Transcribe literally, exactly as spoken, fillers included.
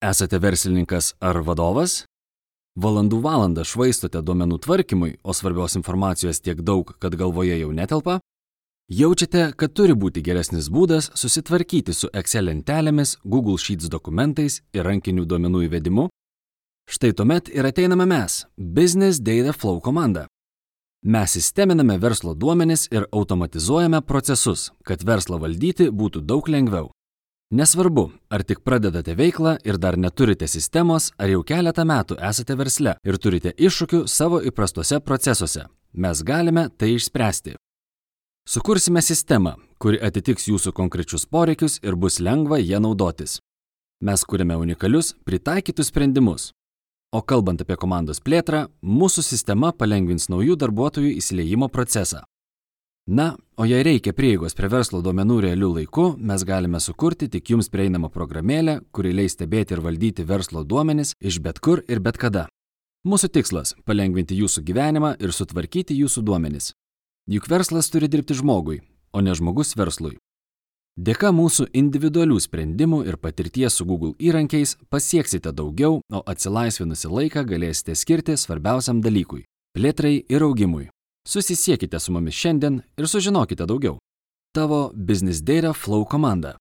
Esate verslininkas ar vadovas? Valandų valandą švaistote duomenų tvarkymui, o svarbios informacijos tiek daug, kad galvoje jau netelpa? Jaučiate, kad turi būti geresnis būdas susitvarkyti su Excel lentelėmis, Google Sheets dokumentais ir rankinių duomenų įvedimu? Štai tuomet ir ateiname mes, Business Data Flow komanda. Mes sisteminame verslo duomenis ir automatizuojame procesus, kad verslą valdyti būtų daug lengviau. Nesvarbu, ar tik pradedate veiklą ir dar neturite sistemos, ar jau keletą metų esate versle ir turite iššūkių savo įprastuose procesuose. Mes galime tai išspręsti. Sukursime sistemą, kuri atitiks jūsų konkrečius poreikius ir bus lengva ją naudotis. Mes kuriame unikalius, pritaikytus sprendimus. O kalbant apie komandos plėtrą, mūsų sistema palengvins naujų darbuotojų įsiliejimo procesą. Na, o jei reikia prieigos prie verslo duomenų realiu laiku, mes galime sukurti tik jums prieinamą programėlę, kuri leis stebėti ir valdyti verslo duomenis iš bet kur ir bet kada. Mūsų tikslas – palengvinti jūsų gyvenimą ir sutvarkyti jūsų duomenis. Juk verslas turi dirbti žmogui, o ne žmogus verslui. Dėka mūsų individualių sprendimų ir patirties su Google įrankiais pasieksite daugiau, o atsilaisvinusį laiką galėsite skirti svarbiausiam dalykui – plėtrai ir augimui. Susisiekite su mumis šiandien ir sužinokite daugiau. Tavo Business Data Flow komanda.